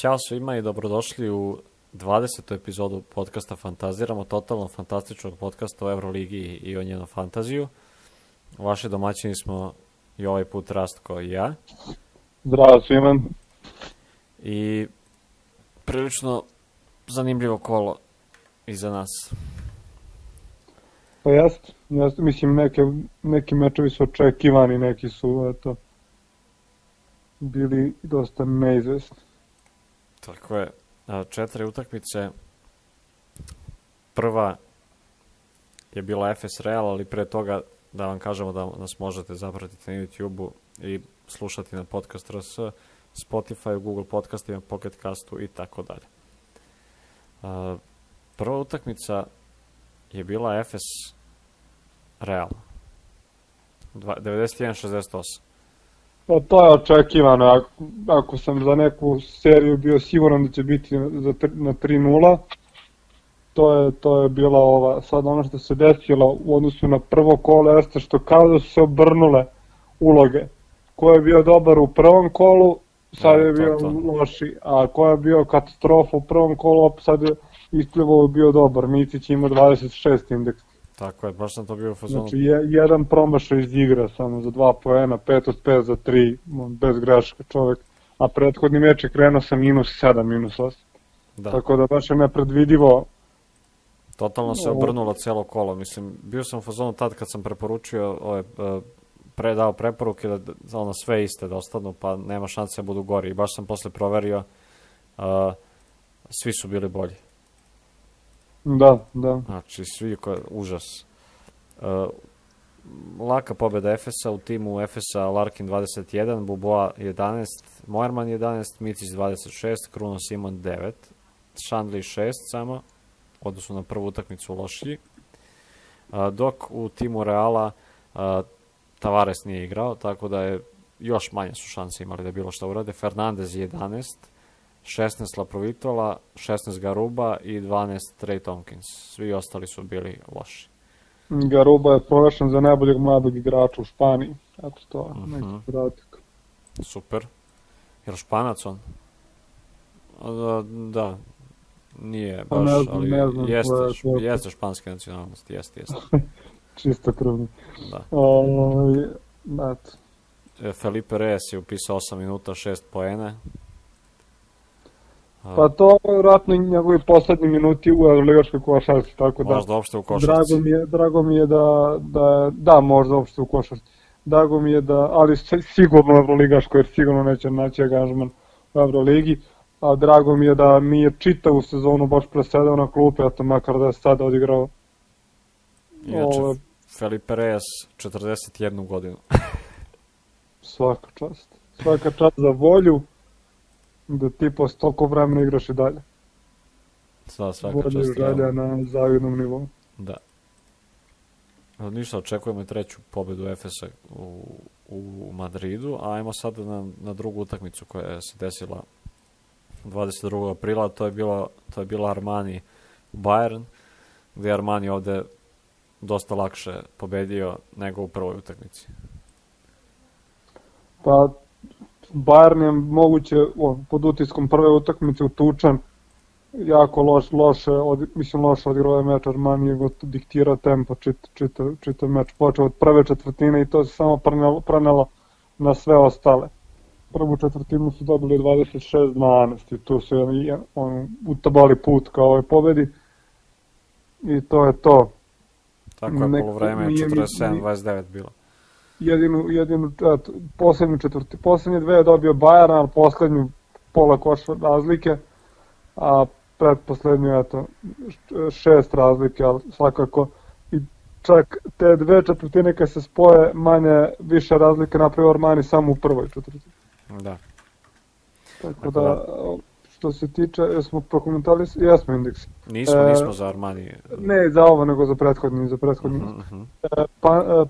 Ćao svima i dobrodošli u 20. epizodu podcasta Fantaziramo, totalno fantastičnog podcasta o Euroligi i o njenom fantaziju. Vaši domaćini smo i ovaj put Rastko i ja. Zdravo svima. I prilično zanimljivo kolo iza nas. Pa jeste, mislim neki mečevi su očekivani, neki su bili dosta neizvesni. Tako je, 4 utakmice. Prva je bila FS Real, ali pre toga da vam kažemo da nas možete zapratiti na YouTube-u i slušati na podcast RS, Spotify, Google podcastima, Pocket Castu i tako dalje. Prva utakmica je bila FS Real 91-68. Pa to je očekivano, ako sam za neku seriju bio siguran da će biti na 3-0, to je bila ova, sad ono što se desilo u odnosu na prvo kolo jeste što kao da su se obrnule uloge. Ko je bio dobar u prvom kolu, sad je bio loši, a ko je bio katastrofa u prvom kolu, sad je isplivao bio dobar. Micić ima 26 indeks. Tako je, baš sam to bio u fazonu. Znači, jedan promašaj iz igra samo za 2 poena, 5 od 5 za 3, bez greška čovek. A prethodni meč je krenuo sa -7, -8. Da. Tako da baš je nepredvidivo. Totalno se obrnulo celo kolo. Mislim, bio sam u fazonu tad kad sam preporučio dao preporuke da sve iste da ostanu, pa nema šanse da budu gori. I baš sam posle proverio, svi su bili bolji. Da. Znači, užas. Laka pobjeda Efesa, u timu Efesa Larkin 21, Buboa 11, Moerman 11, Micić 26, Kruno Simon 9, Šandli 6 samo, odnosno na prvu utakmicu lošiji. Dok u timu Reala Tavares nije igrao, tako da je još manje su šanse imali da bilo šta urade. Fernandez 11, 16 Laprovitola, 16 Garuba i 12 Trey Tompkins. Svi ostali su bili loši. Garuba je proglašen za najboljeg mladog igrača u Španiji. Eto to, neki podatak. Super. Je li Španac on? Da. Nije baš, ali jeste španske nacionalnosti, jeste. Čisto krvni. Da. Felipe Reyes je upisao 8 minuta, 6 poena. Pa to je vjerojatno njegovi poslednji minuti u Euroligaškoj košarci, tako da... Možda uopšte u košarci. Drago mi je da, možda uopšte u košarci. Drago mi je ali sigurno u Euroligaškoj, jer sigurno neće naći angažman u Euroligi. A drago mi je da nije čitavu sezonu baš presedao na klupe, a to makar da je sada odigrao. Inače, Felipe Reyes 41 godinu. Svaka čast za volju. Da ti posle toliko vremena igraš i dalje. Svaka čast. Volje želja na zavidnom nivou. Da. Ništa, očekujemo i treću pobedu Efesa u Madridu, a ajmo sad na drugu utakmicu koja se desila 22. aprila, to je bila Armani Bayern, gdje je Armani ovde dosta lakše pobedio nego u prvoj utakmici. Pa Bayern je moguće pod utiskom prve utakmice utučan, jako loše odigrao je meč. Armani je diktirao tempo čitav meč, počeo od prve četvrtine i to se samo prenelo na sve ostale. Prvu četvrtinu su dobili 26-12 i tu su utabali put kao ovoj pobedi i to je to. Tako je, polovreme je 47-29 bilo. Poslednje dve je dobio Bayern, ali poslednju pola koša razlike, a pretposlednju 6 razlike, ali svakako i čak te dve četvrtine kad se spoje više razlike napravio Armani samo u prvoj četvrtini. Da. Tako da, što se tiče, jesmo prokomentali, jesmo indeks. Nismo za Armani. Ne za ovo, nego za prethodni.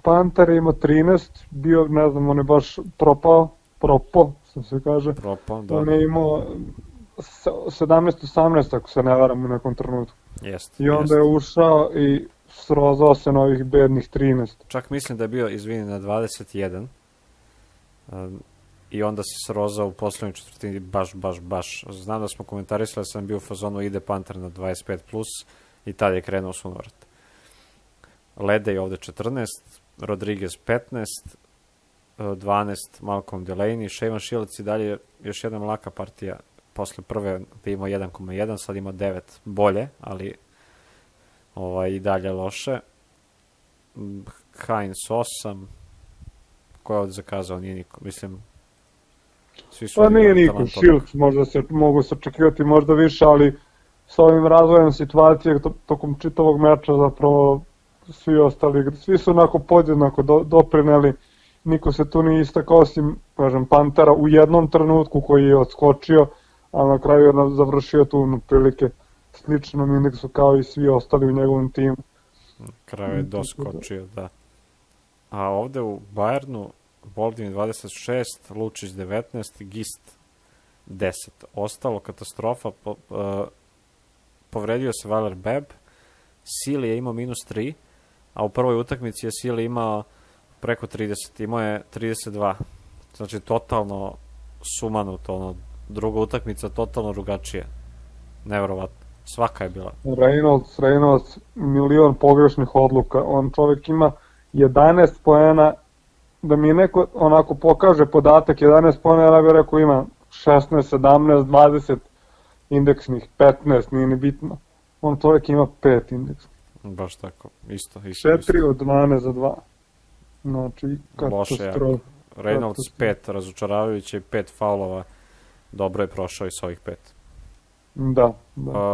Panter je imao 13, bio, ne znam, on je baš propao, što se kaže. Da. On je imao 17-18, ako se ne varam u nekom trenutku. I onda je ušao i srozao se na ovih bednih 13. Čak mislim da je bio, izvini, na 21. i onda se srozao u poslednjoj četvrtini baš. Znam da smo komentarisali, sam bio u fazonu ide Panter na 25+, i tad je krenuo sunovrat. Ledej ovde 14, Rodriguez 15, 12 Malcolm Delaney, Shaven Shields i dalje još jedna laka partija posle prve gde ima 1,1, sad ima 9 bolje, ali i dalje loše. Hines 8, ko je ovde zakazao, nije niko, mislim, svi su... Pa nije niko, Shields možda se mogu se očekivati možda više, ali sa ovim razvojem situacije tokom čitavog meča zapravo svi su onako podjednako doprineli, niko se tu nije istakao osim, kažem, Pantera u jednom trenutku koji je odskočio, a na kraju je završio tu prilike sličnom indeksu kao i svi ostali u njegovom timu. Kraju je doskočio, da. A ovde u Bayernu Boldin 26, Lučić 19, Gist 10. Ostalo katastrofa, povredio se Valer Beb, Sili je imao -3, a u prvoj utakmici je Sili imao preko 30, imao je 32. Znači, totalno sumanuto, druga utakmica totalno drugačija. Neverovatno. Svaka je bila. Reynolds, milion pogrešnih odluka. On čovjek ima 11 poena, da mi neko onako pokaže podatak 11 poena, ja bih rekao ima 16, 17, 20 indeksnih, 15, nije ni bitno. On čovjek ima 5 indeksnih. Baš tako, isto. 4 od 12 za 2. Znači, katastrofa. Reynolds 5, razočaravajuće i 5 faulova. Dobro je prošao i s ovih 5. Da.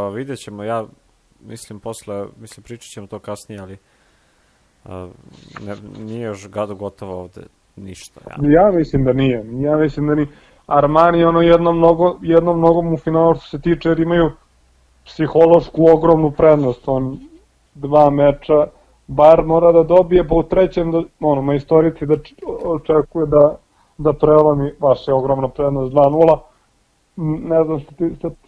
Vidjet ćemo, ja mislim pričat ćemo to kasnije, ali nije još gotovo ovde ništa. Ja mislim da nije. Armani jednom nogom u finalu što se tiče, jer imaju psihološku ogromnu prednost. On 2 meča, Bayern mora da dobije, pa u trećem majstorici da očekuje da prelomi, baš je ogromna prednost 2-0. Ne znam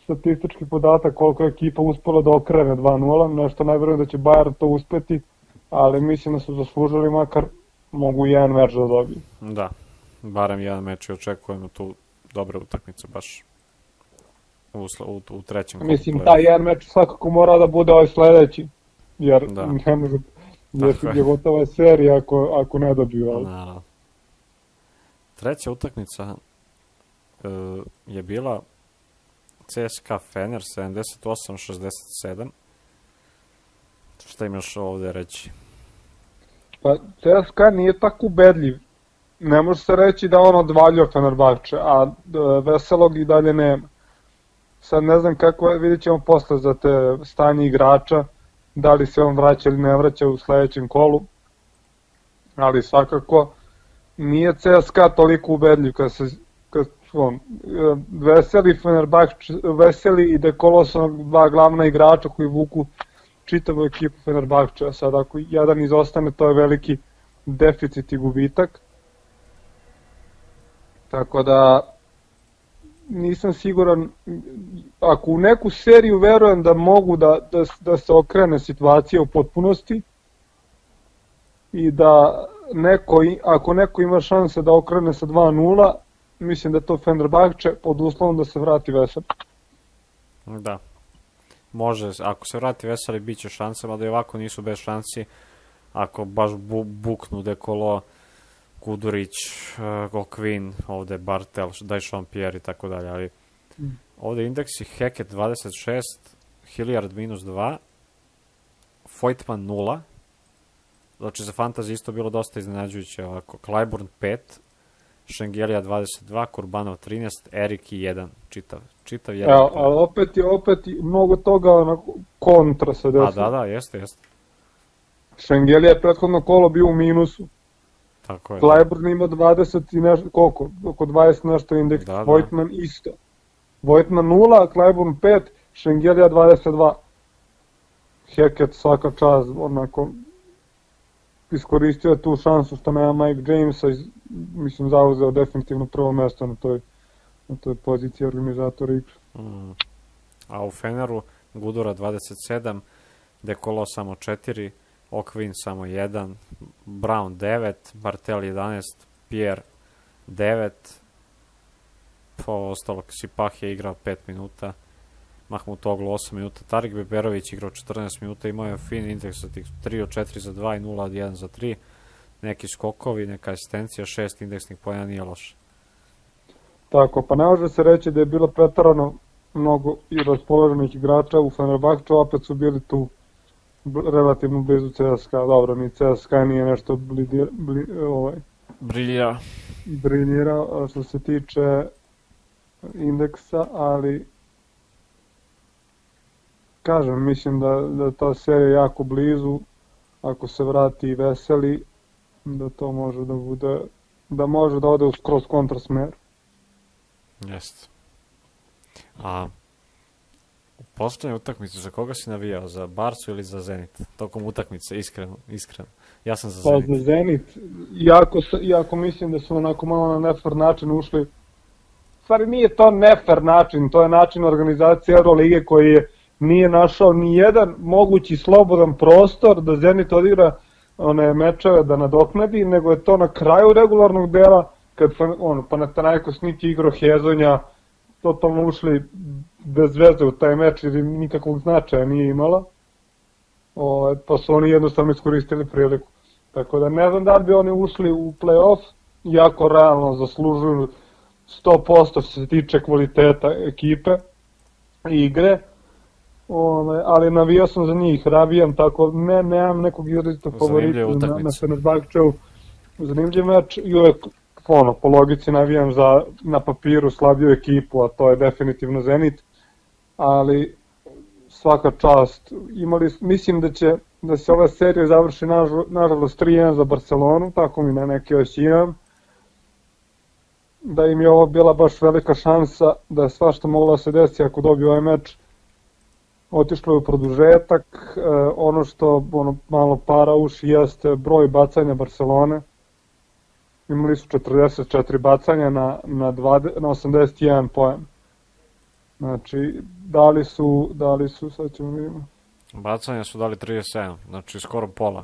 statistički podatak koliko je ekipa uspela da okrene 2-0, nešto najvjerujem da će Bayern to uspeti, ali mislim da su zaslužili makar mogu jedan meč da dobiju. Da, barem jedan meč i očekujemo tu dobre utakmice baš u trećem. Mislim, taj jedan meč svakako mora da bude ovaj sledeći, jer ne može, je gotova serija ako ne dobiju. Naravno. Treća utakmica je bila CSKA Fener 78-67. Šta imaš ovde reći? Pa CSKA nije tako ubedljiv. Ne može se reći da on odvaljio Fenerbahče, a Veselog i dalje nema. Sad ne znam kako, vidjet ćemo posle za te stanje igrača, da li se on vraća ili ne vraća u sledećem kolu, ali svakako nije CSKA toliko ubedljiv Veseli i Dekolo su dva glavna igrača koji vuku čitavu ekipu Fenerbahča. Sad ako jedan izostane, to je veliki deficit i gubitak. Tako da nisam siguran, ako u neku seriju verujem da mogu da se okrene situacija u potpunosti i da ako neko ima šanse da okrene sa 2-0, mislim da je to Fenerbahče pod uslovom da se vrati Veseli. Da, može, ako se vrati Veseli bit će šanse, mada i ovako nisu bez šansi, ako baš buknu Dekolo, Kudurić, Okvin, ovde Bartel, Dajšon Pierre i tako dalje, ali ovde indeksi Heket 26, Hilliard -2, Voigtman 0, znači za fantasy isto bilo dosta iznenađujuće ovako, Clyburn 5, Šengelija 22, Kurbanov 13, Erik 1, čitav jedan. Evo, ali opet mnogo toga kontra se desilo. Da, jeste. Šengelija je prethodno kolo bio u minusu. Tako je. Clyburn ima 20 i nešto, koliko? Oko 20 nešto indeks, Voigtman isto. Voigtman 0, Clyburn 5, Šengelija 22. Heket svaka čast, onako, iskoristio je tu šansu što nema Mike Jamesa, mislim zauzeo definitivno prvo mesto na toj poziciji organizatora igre. A u Feneru Gudura 27, Dekolo samo 4, Okvin samo 1, Brown 9, Bartel 11, Pierre 9, ovo ostalo, Sipah je igrao 5 minuta, Mahmutoglu 8 minuta, Tarik Beberović igrao 14 minuta, imao je fin indeks za tih 3 od 4 za 2 i 0 od 1 za 3, neki skokovi, neka asistencija, 6 indeksnih pojena, nije loše. Tako, pa ne može se reći da je bilo pretarano mnogo i raspoloženih igrača u Fenerbahču, opet su bili tu relativno blizu CSKA, dobro, ni CSKA nije nešto briljirao što se tiče indeksa, ali kažem, mislim da ta serija jako blizu, ako se vrati Veseli, da to može da bude, da može da ode u skroz kontrasmer. Jeste. A u poslednjoj utakmici za koga si navijao? Za Barcu ili za Zenit? Tokom utakmice, iskreno. Ja sam za Zenit. Pa za Zenit, iako mislim da su onako malo na nefer način ušli. Stvari nije to nefer način, to je način organizacije Eurolige koji nije našao ni jedan mogući slobodan prostor da Zenit odigra one mečeve da nadoknadi, nego je to na kraju regularnog dela, kad Panathinaikos niti igrao Hezonja, totalno ušli bez veze u taj meč jer nikakvog značaja nije imala, pa su oni jednostavno iskoristili priliku. Tako da ne znam da li bi oni ušli u play-off, jako realno zaslužuju 100% što se tiče kvaliteta ekipe i igre, ali navijao sam za njih, ravijam, tako nemam nekog izrazitog favorita na Fenerbahčevu. Zanimljiv meč i uvek po logici navijam za na papiru slabiju ekipu, a to je definitivno Zenit, ali svaka čast. Mislim da se ova serija završi nažalost 3-1 za Barcelonu, tako mi na neki osjećam, da im je ovo bila baš velika šansa, da je svašta moglo da se desi ako dobiju ovaj meč. Otišlo je u produžetak, ono što malo para uši jeste broj bacanja Barcelone. Imali su 44 bacanja na 81 poen. Znači, dali su, sad ćemo vidimo. Bacanja su dali 37, znači skoro pola.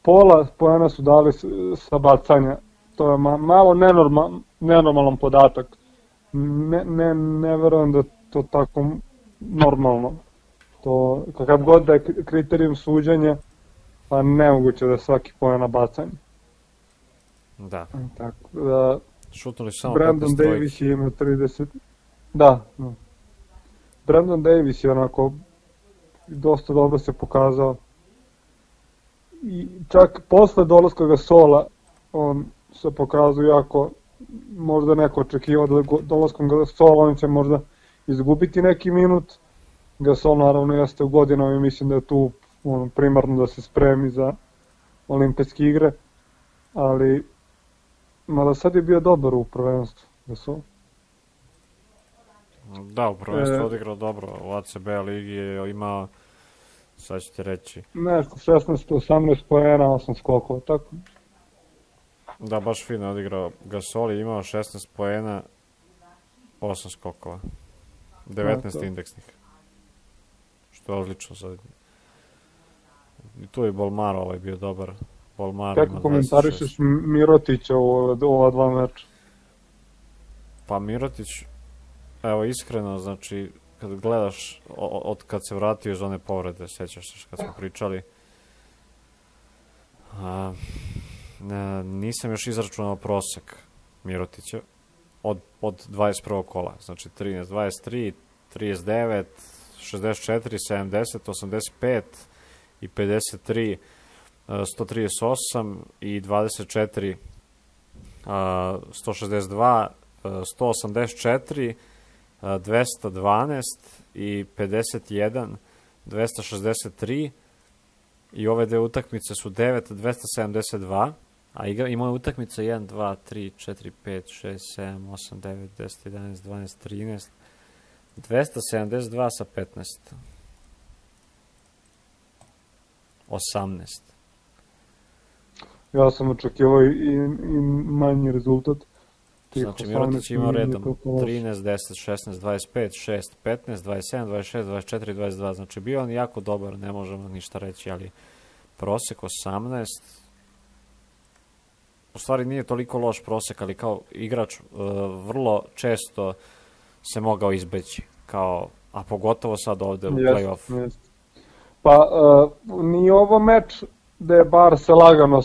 Pola poena su dali sa bacanja. To je malo nenormalan podatak. Ne verujem da to tako normalno. To, kakav god da je kriterijum suđenja, pa nemoguće da je svaki poen na bacanje. Da. Tako da, šutnuli samo Brandon Davis je imao 30. Da. Brandon Davis je onako dosta dobro se pokazao. I čak posle dolaska Gasola on se pokazao jako, možda neko očekivao da dolaskom Gasola on će možda izgubiti neki minut. Gasol naravno jeste u godinama i mislim da je tu primarno da se spremi za olimpijske igre, ali mada sad je bio dobar u prvenstvu Gasol. Da, u prvenstvu odigrao dobro, u ACB ligi je imao, sad ću ti reći, nešto 16-18 poena, 8 skokova, tako? Da, baš fino odigrao. Gasol je imao 16 poena, 8 skokova, 19 indeksnih, što je odlično sad. I tu je Bolmaro bio dobar. Kako komentarišeš Mirotića u ova dva meča? Pa Mirotić, evo iskreno, znači, kad gledaš, od kad se vratio iz one povrede, sjećaš se kad smo pričali, nisam još izračunao prosek Mirotića od 21. kola, znači 13, 23, 39, 64, 70, 85 i 53, 138 i 24, 162, 184, 212 i 51, 263 i ove dve utakmice su 9, 272, a imao je utakmice 1, 2, 3, 4, 5, 6, 7, 8, 9, 10, 11, 12, 13, 272 sa 15, 18. Ja sam očekivao i manji rezultat. Znači Mirotić ima redom 13, 10, 16, 25, 6, 15, 27, 26, 24, 22. Znači bio on jako dobar, ne možemo ništa reći, ali prosek 18, u stvari nije toliko loš prosek, ali kao igrač vrlo često se mogao izbeći, kao, a pogotovo sad ovde u play-off. Pa nije ovo meč gde je Barca lagano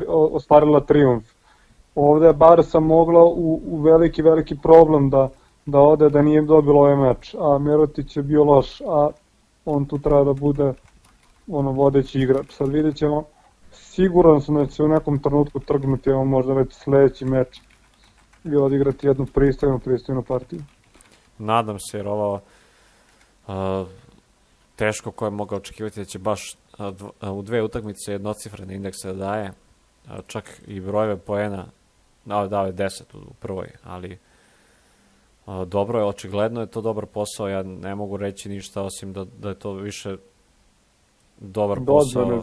ostvarila trijumf. Ovde je Barca mogla u veliki problem da ode, da nije dobilo ovaj meč, a Mirotić je bio loš, a on tu treba da bude vodeći igrač. Sad vidjet ćemo, siguran sam da će u nekom trenutku trgnuti, evo možda već sledeći meč i odigrati jednu pristojnu partiju. Nadam se, jer ovo teško ko je mogao očekivati da će baš u dve utakmice jednocifrene indekse da daje, čak i brojeve poena, dao je 10 u prvoj, ali dobro je, očigledno je to dobar posao, ja ne mogu reći ništa osim da je to više dobar posao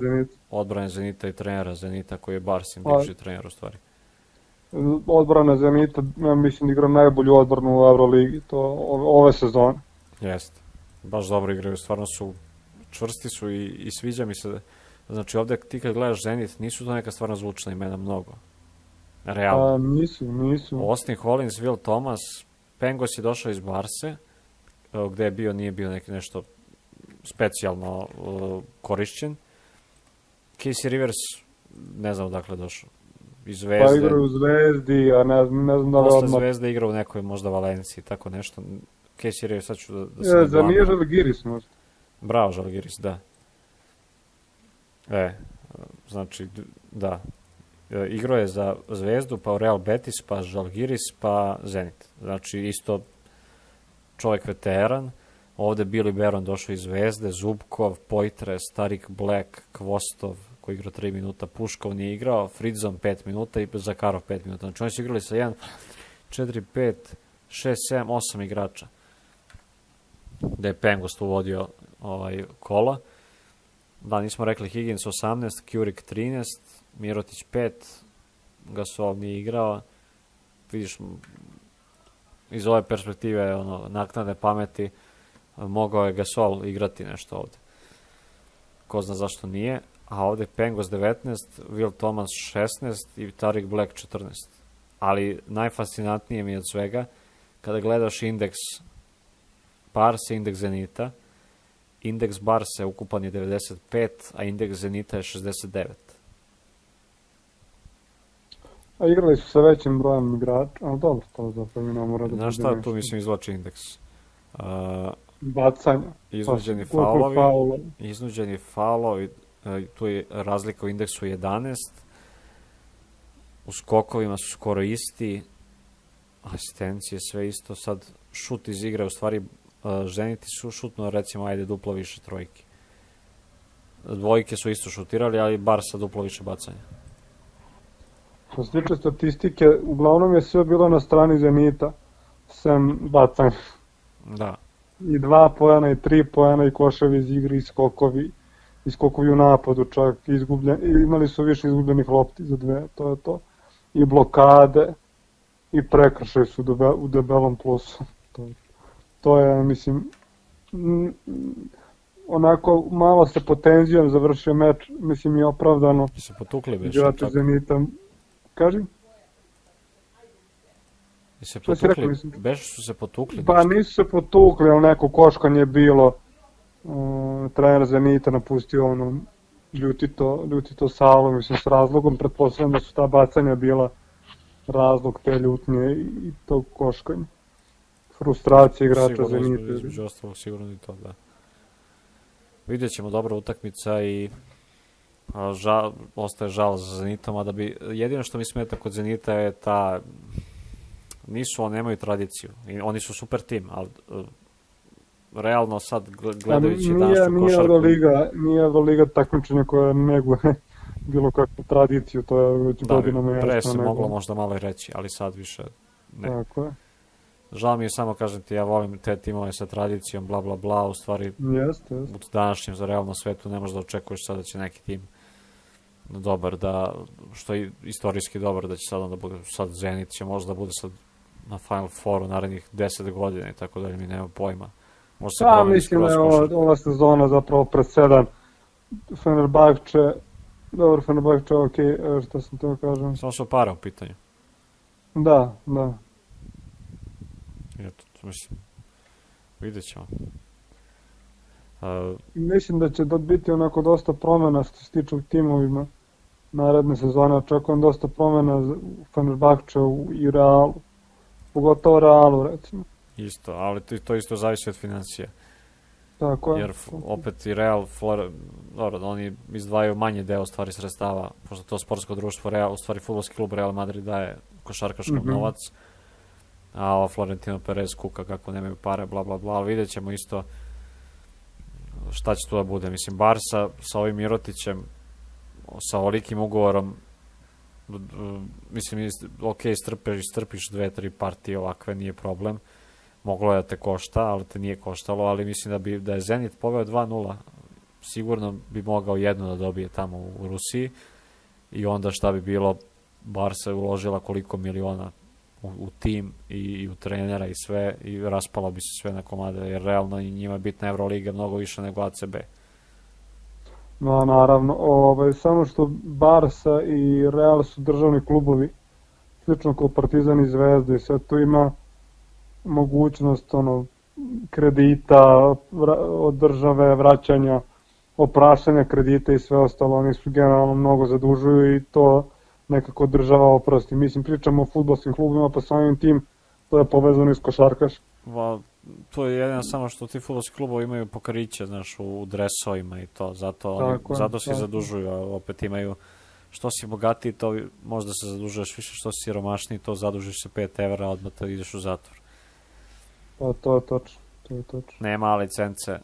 odbrane Zenita i trenera Zenita koji je Barsin, bivši trener u stvari. Odbrana Zenita, ja mislim da igra najbolju odbranu u Euroligi, to ove sezone. Jeste, baš dobro igraju, stvarno su čvrsti su i sviđa mi se, znači ovde ti kad gledaš Zenit, nisu to neka stvarno zvučna imena mnogo, realno. Nisu. Austin Hollins, Will Thomas, Pengos je došao iz Barse, gde je bio, nije bio nešto specijalno korišćen. Casey Rivers, ne znam odakle je došao, iz Zvezde. Pa igra u Zvezdi, a ne znam da li odmah. Posle Zvezde igra u nekoj možda Valenciji, tako nešto. Casey Rivers, sad ću da se... Za nije Žalgiris možda. Bravo, Žalgiris, da. Znači, da. Igrao je za Zvezdu, pa Real Betis, pa Žalgiris, pa Zenit. Znači, isto čovjek veteran. Ovde Billy Baron došao iz Zvezde, Zubkov, Poitres, Tarik Black, Kvostov, koji igrao 3 minuta, Puškov nije igrao, Fridzon 5 minuta i Zakarov 5 minuta. Znači, oni su igrali sa 1, 4, 5, 6, 7, 8 igrača. Da je Pengos uvodio kola. Da, nismo rekli Higgins 18, Kurik 13, Mirotić 5, Gasol nije igrao. Vidiš, iz ove perspektive naknadne pameti mogao je Gasol igrati nešto ovde. Ko zna zašto nije. A ovde Pengos 19, Will Thomas 16 i Tarik Black 14. Ali najfascinantnije mi je od svega kada gledaš indeks Barse, indeks Zenita. Indeks Barse ukupan je 95, a indeks Zenita je 69. A igrali su sa većim brojem igrača, ali dobro, to zapravo mi ne mora da... Znaš šta, tu mislim izvlači indeks? Bacanja. Iznuđeni faulovi, tu je razlika u indeksu 11, u skokovima su skoro isti, asistencije sve isto, sad šut iz igre, u stvari Zeniti su šutno recimo ajde duplo više trojki. Dvojke su isto šutirali, ali Barsa duplo više bacanja. Što se tiče statistike, uglavnom je sve bilo na strani Zenita, sem bacanja. Da. I 2 poena, i 3 poena, i koševi iz igre, i skokovi u napadu čak, imali su više izgubljenih lopti za 2, to je to. I blokade, i prekršaj su u debelom plusu. To je, mislim, onako malo se potenzijom završio meč, mislim i opravdano. I se potukli beš. Igrači Zenita, kaži? I se potukli, beš su se potukli? Pa nisu se potukli, ali neko koškanje je bilo. Trener Zenita napustio ljutito salo, mislim s razlogom, pretpostavljam da su ta bacanja bila razlog te ljutnje i tog koškanja. Frustracija igrača Zenita. Između ostalog sigurno i to, da. Vidjet ćemo dobra utakmica i ostaje žal za Zenitom, a da bi, jedino što mi smeta kod Zenita je ta, nemaju tradiciju, oni su super tim, ali realno sad gledajući današnju košarku... Nije Euroliga takmičenje koja neguje bilo kakvu tradiciju, to je već godinama jasno. Da, pre se moglo možda malo i reći, ali sad više ne. Tako je. Žao mi je, samo kažem ti, ja volim te timove sa tradicijom, bla bla bla, u stvari u današnjem za realnom svetu ne možeš da očekuješ sad da će neki tim dobar, što je istorijski dobar, da će sad onda bude, sad Zenit će možda bude sad na Final Fouru narednih 10 godina i tako dalje, mi nema pojma. Mislim da je ova sezona zapravo presedan. Fenerbahče Dobro, Fenerbahče, okej, šta sam to kažem? Samo su para u pitanju. Da, da. Eto, mislim, vidjet ćemo. Mislim da će biti onako dosta promjena što se tiče u timovima naredne sezone. Očekujem dosta promjena u Fenerbahčeu i Realu. Pogotovo Realu, recimo. Isto, ali to isto zavisi od financija. Tako je. Jer opet i Real, dobro, oni izdvajaju manje deo stvari sredstava, pošto to sportsko društvo Real, u stvari fudbalski klub Real Madrid daje košarkaškom novac, a ova Florentino Perez kuka kako nemaju pare, bla bla bla, ali vidjet ćemo isto šta će tu da bude. Mislim, Barsa sa ovim Mirotićem, sa ovolikim ugovorom, mislim, ok, strpiš 2-3 partije ovakve, nije problem. Moglo je da te košta, ali te nije koštalo, ali mislim da je Zenit poveo 2-0, sigurno bi mogao jedno da dobije tamo u Rusiji i onda šta bi bilo, Barsa je uložila koliko miliona u tim i u trenera i sve i raspalo bi se sve na komade, jer realno i njima je bitna Euroliga mnogo više nego ACB. No, naravno, samo što Barsa i Real su državni klubovi, slično kao Partizan i Zvezda i sve tu ima mogućnost kredita od države, vraćanja, opraštanja kredita i sve ostalo. Oni su generalno mnogo zadužuju i to nekako država oprosti. Mislim, pričamo o fudbalskim klubima, pa samim tim to je povezano i s košarkaš. To je jedino samo što ti fudbalski klubovi imaju pokriće, znaš, u dresovima i to, zato se zadužuju, a opet imaju, što si bogatiji, to možda se zadužuješ više, što si siromašniji, to zadužiš se 5 evra, odmah te ideš u zatvor. Pa to je točno. Nema licence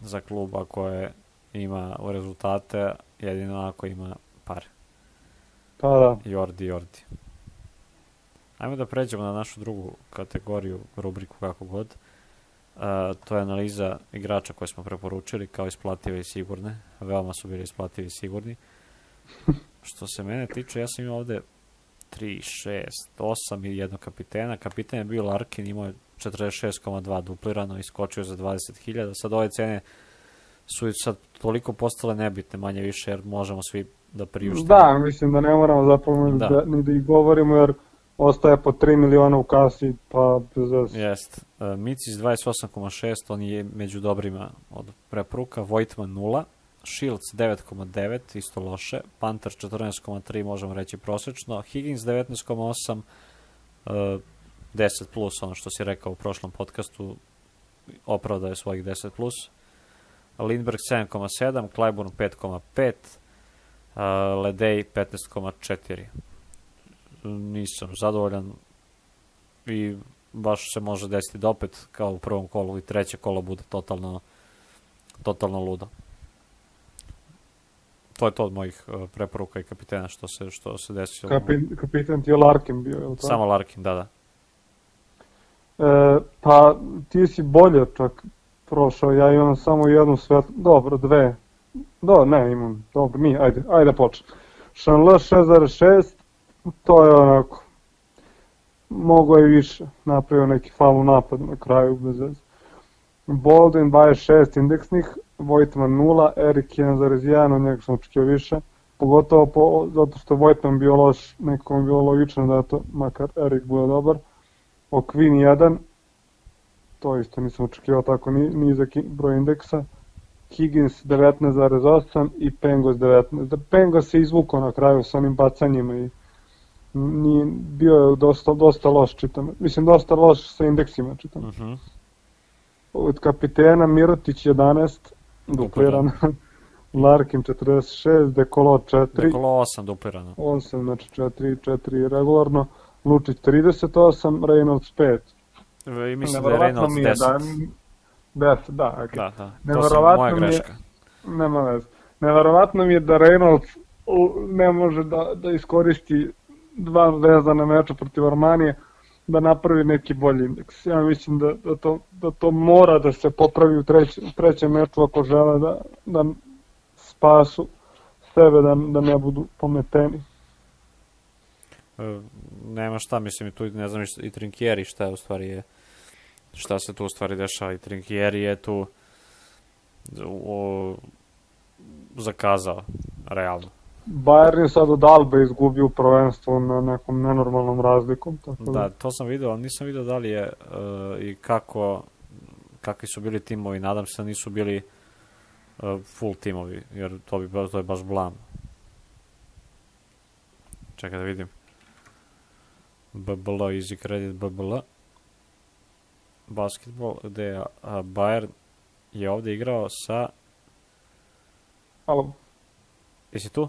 za kluba koje ima u rezultate, jedino ako ima pare. Pa da. Jordi. Ajmo da pređemo na našu drugu kategoriju, rubriku kako god. To je analiza igrača koje smo preporučili kao isplative i sigurne. Veoma su bili isplativi i sigurni. Što se mene tiče, ja sam imao ovde 3, 6, 8 i jednog kapitena. Kapiten je bio Larkin, imao je 46,2 duplirano i skočio za 20.000. Sad ove cene su sad toliko postale nebitne, manje više, jer možemo svi da priuštimo. Da, mislim da ne moramo zapravo ni da ih govorimo, jer ostaje po 3 miliona u kasi, pa bez veze. Jest. Micis 28,6, on je među dobrima od preporuka. Vojtman 0, Shields 9,9, isto loše. Panter 14,3, možemo reći prosečno. Higgins 19,8, 10 plus, ono što si rekao u prošlom podcastu, opravdaje svojih 10 plus. Lindbergh 7,7, Clyburn 5,5, Ledej 15,4. Nisam zadovoljan i baš se može desiti da opet kao u prvom kolu i treće kolo bude totalno ludo. To je to od mojih preporuka i kapitena što se desilo. Kapitan ti je Larkin bio, je li to? Samo Larkin, da. Pa ti si bolje čak prošao, ja imam samo jednu dobro, dve. Imam, dobro, ajde počnem. Šanle 6,6, to je onako, mogo je više, napravio neki faul u napadu na kraju, bez veze. Baldwin 26 indeksnih, Vojtman 0, Erik 1,1, od njega sam očekio više, pogotovo zato što Vojtman bio loš, nekom bilo logično da to, makar Erik bude dobar. Okvin 1, to isto nisam očekivao tako nizak broj indeksa. Higgins 19,8 i Pengos 19. Pengos se izvukao na kraju sa onim bacanjima i bio je dosta loš, čitam. Mislim, dosta loš sa indeksima, čitam. Od kapitena Mirotić 11, dupliran. Larkin 46, Dekolo 4. Dekolo 8, duplirano. 8, znači 4 regularno. Lučić 38, Reynolds 5. I mislim da je Reynolds 10. 10, da, ok. Da, to sam moja greška. Nema veze. Neverovatno mi je da Reynolds ne može da iskoristi dva vezana meča protiv Armanije, da napravi neki bolji indeks. Ja mislim da to mora da se popravi u trećem meču ako žele da spasu sebe, da ne budu pometeni. Nema šta, mislim, tu ne znam i Trinkieri šta se tu u stvari dešava. I Trinkieri je tu zakazao, realno. Bayern je sad od Albe izgubio prvenstvo na nekom nenormalnom razlikom. Tako Da, to sam vidio, ali nisam vidio da li je i kakvi su bili timovi. Nadam se da nisu bili full timovi, jer to je baš blam. Čekaj da vidim. BBL, Easy Credit BBL. Basketball, gde je Bayern je ovde igrao sa... Alo. Jesi tu?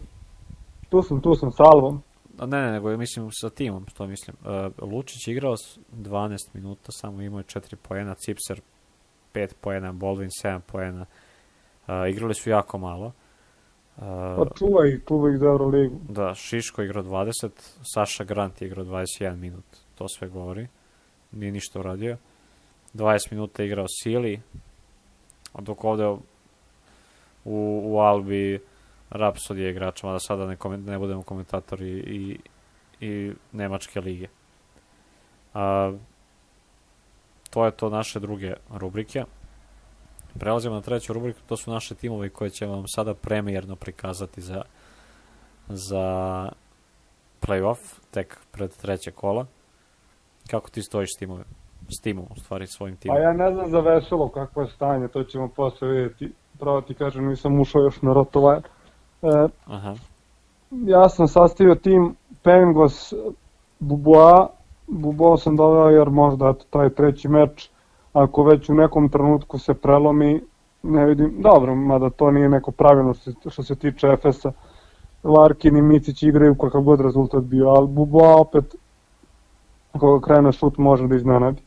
Tu sam s Alvom. Ne, nego mislim sa timom, što mislim. Lučić je igrao 12 minuta, samo imao je 4 poena, Cipser 5 poena, Baldwin 7 poena. Igrali su jako malo. Pa čuvaj ih za Euroligu. Da, Šiško igrao 20, Saša Grant je igrao 21 minut, to sve govori. Nije ništa uradio. 20 minuta je igrao Sili, dok ovde u Albi Rapsod je igrač, mada sada ne budemo komentatori i Nemačke lige. To je to naše druge rubrike. Prelazimo na treću rubriku, to su naše timovi koje ćemo vam sada premijerno prikazati za play-off, tek pred treće kola. Kako ti stojiš s timom, u stvari svojim timom? Pa ja ne znam za Veselo kakvo je stanje, to ćemo posle vidjeti. Pravo ti kažem, nisam ušao još na Rotovajer. Ja sam sastavio tim Pengos, Buboa sam doveo jer možda taj treći meč, ako već u nekom trenutku se prelomi, ne vidim, dobro, mada to nije neko pravilno što se tiče Efesa. Larkin i Micić igraju kakav god rezultat bio, ali Buboa opet, ako krene šut, može da iznenadi.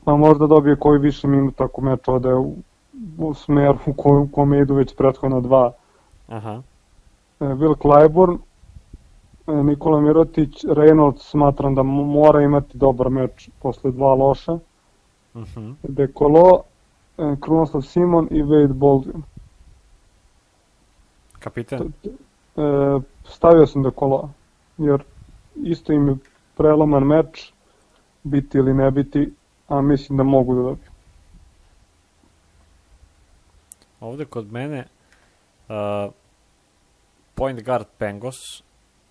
Pa možda dobije koji više minuta ako meč ode u smer u kome idu već prethodno dva. Will Clyburn, Nikola Mirotić, Reynolds smatram da mora imati dobar meč posle dva loša. Dekolo, Krunoslav Simon i Wade Baldwin. Kapiten? Stavio sam Dekolo, jer isto im je preloman meč, biti ili ne biti, a mislim da mogu da dobiju. Ovde kod mene point guard Pengos,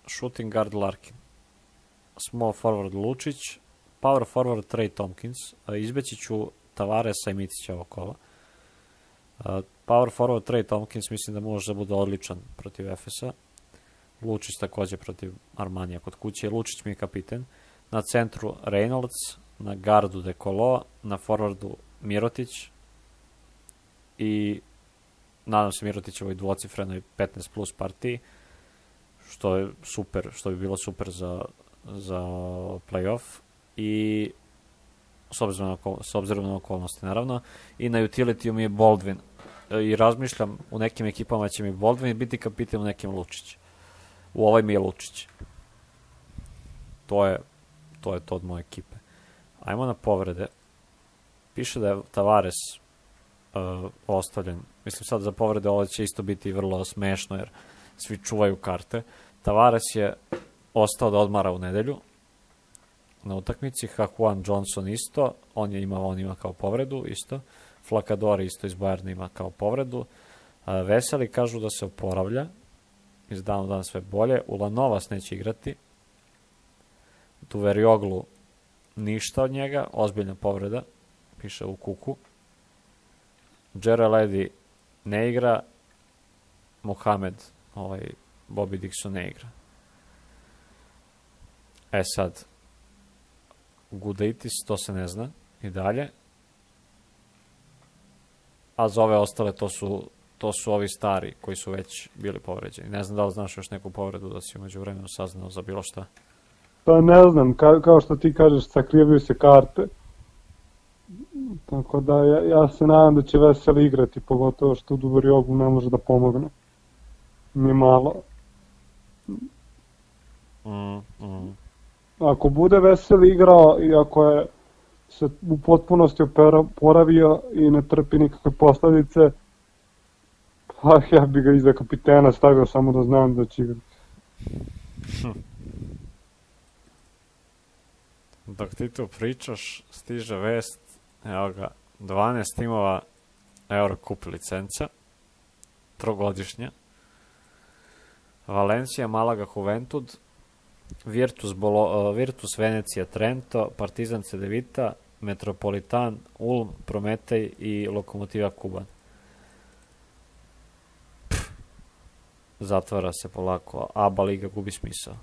shooting guard Larkin, small forward Lučić, power forward Trey Tompkins, izbeći ću Tavaresa i Micića ovog kola. Power forward Trey Tompkins mislim da može da bude odličan protiv Efesa. Lučić takođe protiv Armanija kod kuće. Lučić mi je kapiten. Na centru Reynolds, na gardu Dekolo, na forwardu Mirotić i nadam se Mirotićevoj dvocifrenoj 15 plus partiji, što je super, što bi bilo super za play-off i s obzirom na okolnosti naravno. I na utility mi je Baldwin i razmišljam u nekim ekipama će mi Baldwin biti kapiten, u nekim Lučić. U ovoj mi je Lučić. To je to od moje ekipe. Ajmo na povrede. Piše da je Tavares ostavljen. Mislim sad za povrede ovo će isto biti vrlo smešno jer svi čuvaju karte. Tavares je ostao da odmara u nedelju na utakmici. Hakuan Johnson isto. On ima kao povredu isto. Flakadori isto iz Bayerna ima kao povredu. Veseli kažu da se oporavlja. Iz dana u dan sve bolje. Ulanovas neće igrati. Duverioglu ništa od njega. Ozbiljna povreda. Piše u kuku. Jerry Ledy ne igra. Mohamed, Bobby Dixon ne igra. Sad, Gudaitis, to se ne zna i dalje. A za ove ostale to su ovi stari koji su već bili povređeni. Ne znam da li znaš još neku povredu da si umeđu vremenu saznao za bilo šta. Pa ne znam, kao što ti kažeš, sakrivaju se karte. Tako da ja se nadam da će Veseli igrati, pogotovo što Duverioglu ne može da pomogne. Ni malo. Ako bude Veseli igrao i ako je se u potpunosti oporavio i ne trpi nikakve posledice, pa ja bi ga iza kapitena stavio samo da znam da će igrati. Dok ti tu pričaš, stiže vest, evo ga, 12 timova Eurocup licenca, trogodišnja. Valencija, Malaga, Juventud, Virtus Venecija, Trento, Partizan Cedevita, Metropolitan, Ulm, Prometej i Lokomotiva Kuban. Zatvara se polako, ABA liga gubi smisao.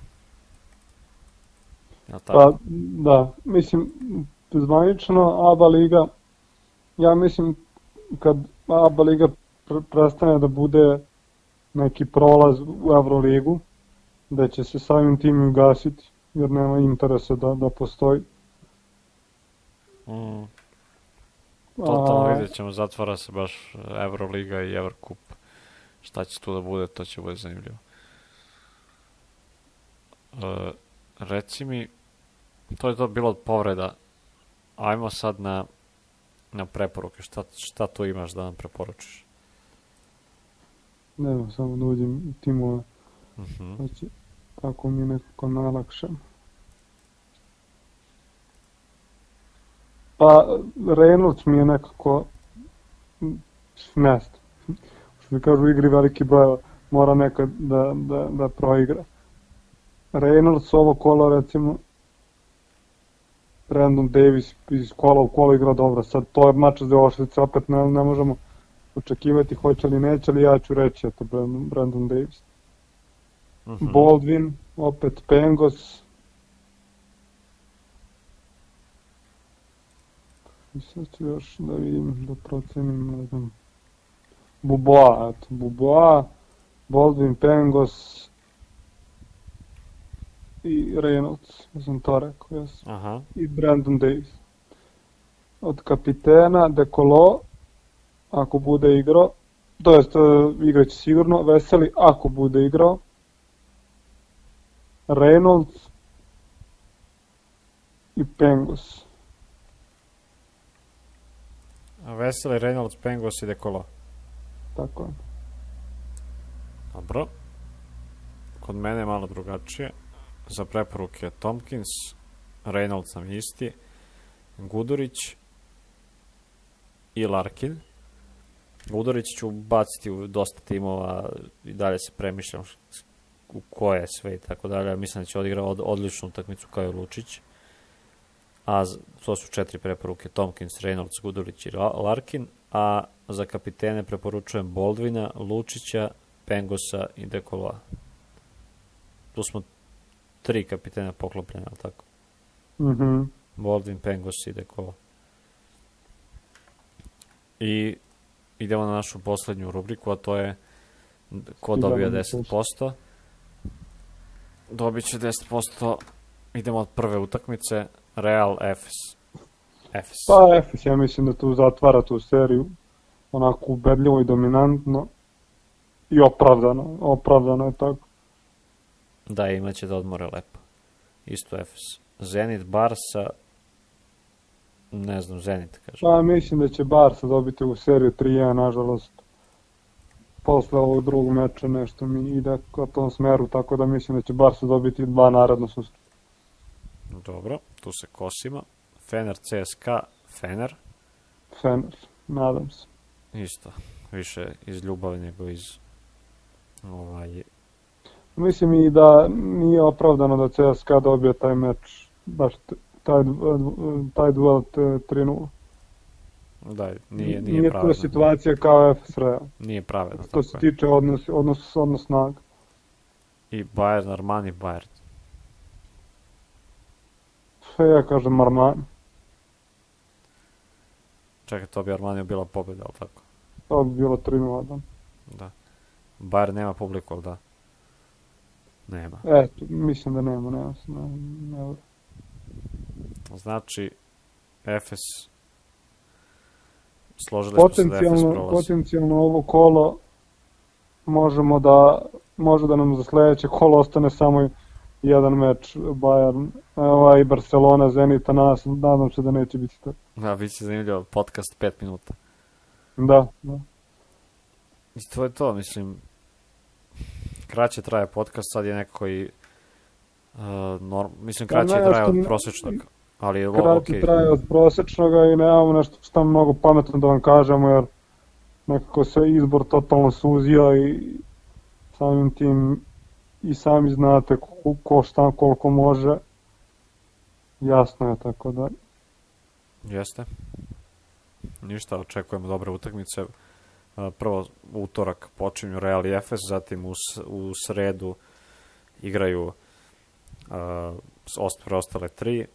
Pa, da, mislim, zvanično ABA liga, ja mislim kad ABA liga prestane da bude neki prolaz u Euroligu, da će se samim tim ugasiti, jer nema interesa da postoji. Totalno vidjet ćemo, zatvara se baš Euroliga i Eurocup. Šta će tu da bude, to će bude zanimljivo. Reci mi, to je to bilo od povreda. Ajmo sad na preporuke. Šta tu imaš da nam preporučiš? Ne znam, samo da uđem timove. Znači, tako mi je nekako najlakše. Pa, Reynolds mi je nekako mjesto. Što kažu u igri veliki broj, mora nekad da proigra. Reynolds ovo kolo, recimo, Brandon Davis iz kola u kolo igra dobro. Sad to je mač za Ošvice, opet ne možemo očekivati hoće li neće, ali ja ću reći eto Brandon Davis. Baldwin, opet Pengos. I sad ću još da vidim, da procenim, ne znam. Buboa, Baldwin, Pengos i Reynolds, ja sam to rekao, jes. I Brandon Davis. Od kapitena Dekolo, ako bude igrao, to jest igraće sigurno, Veseli ako bude igrao, Reynolds i Pengos. Veseli, Reynolds, Pengos i Dekolo. Tako je. Dobro. Kod mene je malo drugačije. Za preporuke Tompkins, Reynolds nam isti, Gudurić i Larkin. Gudurić ću baciti u dosta timova i dalje se premišljam u koje sve i tako dalje. Mislim da će odigrati odličnu utakmicu kao i Lučić. A to su 4 preporuke: Tompkins, Reynolds, Gudurić i Larkin. A za kapitene preporučujem Baldwina, Lučića, Pengosa i Dekoloa. Tu smo 3 kapitena poklopljena, ali tako? Baldwin, Pengos i Dekolo. I idemo na našu poslednju rubriku, a to je ko dobija 10%. Dobit će 10%. Idemo od prve utakmice, Real Efes. Pa Efes, ja mislim da tu zatvara tu seriju onako ubedljivo i dominantno i opravdano je tako. Da, imaće da odmore lepo. Isto Efes. Zenit, Barsa, ne znam, Zenit kaže. Pa mislim da će Barsa dobiti u seriju 3-1, nažalost. Posle ovog drugog meča nešto mi ide ka tom smeru, tako da mislim da će Barsa dobiti 2 naredno susret. Dobro, tu se kosimo. Fener, CSKA, Fener, nadam se. Isto, više iz ljubavi nego iz Mislim i da nije opravdano da CSKA dobije taj meč, baš taj duel 3-0. Da, nije pravedno. To situacija kao Efes Real. Nije pravedno. Što se tiče odnos snaga. I Bayern, Armani, Bayern. Sve ja kažem Armani. Čekaj, to bi Armaniju bila pobjeda, ali tako? To bi bilo 3-0, da. Da. Bayern nema publiku, ali da? Nema. Eto, mislim da nema. Znači, Efes složili smo se da Efes prolazi. Potencijalno ovo kolo može da nam za sledeće kolo ostane samo jedan meč Bayern, i Barcelona, Zenita, nadam se da neće biti tako. Da, bit će zanimljivo, podcast 5 minuta. Da. I to je to, mislim, kraće traje podcast, sad je neko i, mislim, kraće traje od prosječnog, ali je ovo okej. Kraće traje od prosječnoga i nemamo nešto što mnogo pametno da vam kažemo, jer nekako se izbor totalno suzio i samim tim i sami znate ko šta koliko može, jasno je, tako da. Jeste. Ništa, očekujemo dobre utakmice. Prvo utorak počinju Real i Efes, zatim u sredu igraju preostale 3,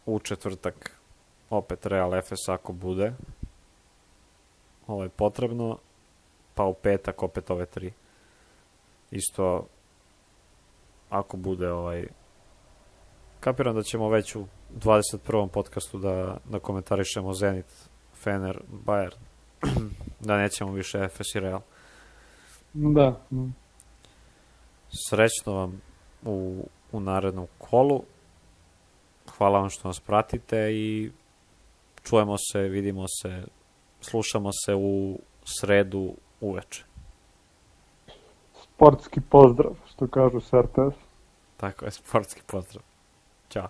u četvrtak opet Real Efes ako bude potrebno, pa u petak opet ove 3. Isto ako bude kapiram da ćemo već u 21. podcastu da komentarišemo Zenit, Fener, Bayern, da nećemo više Efes i Real. Da. Srećno vam u narednom kolu. Hvala vam što nas pratite i čujemo se, vidimo se, slušamo se u sredu uveče. Sportski pozdrav, što kažu s RTS. Tako je, sportski pozdrav. Ćao.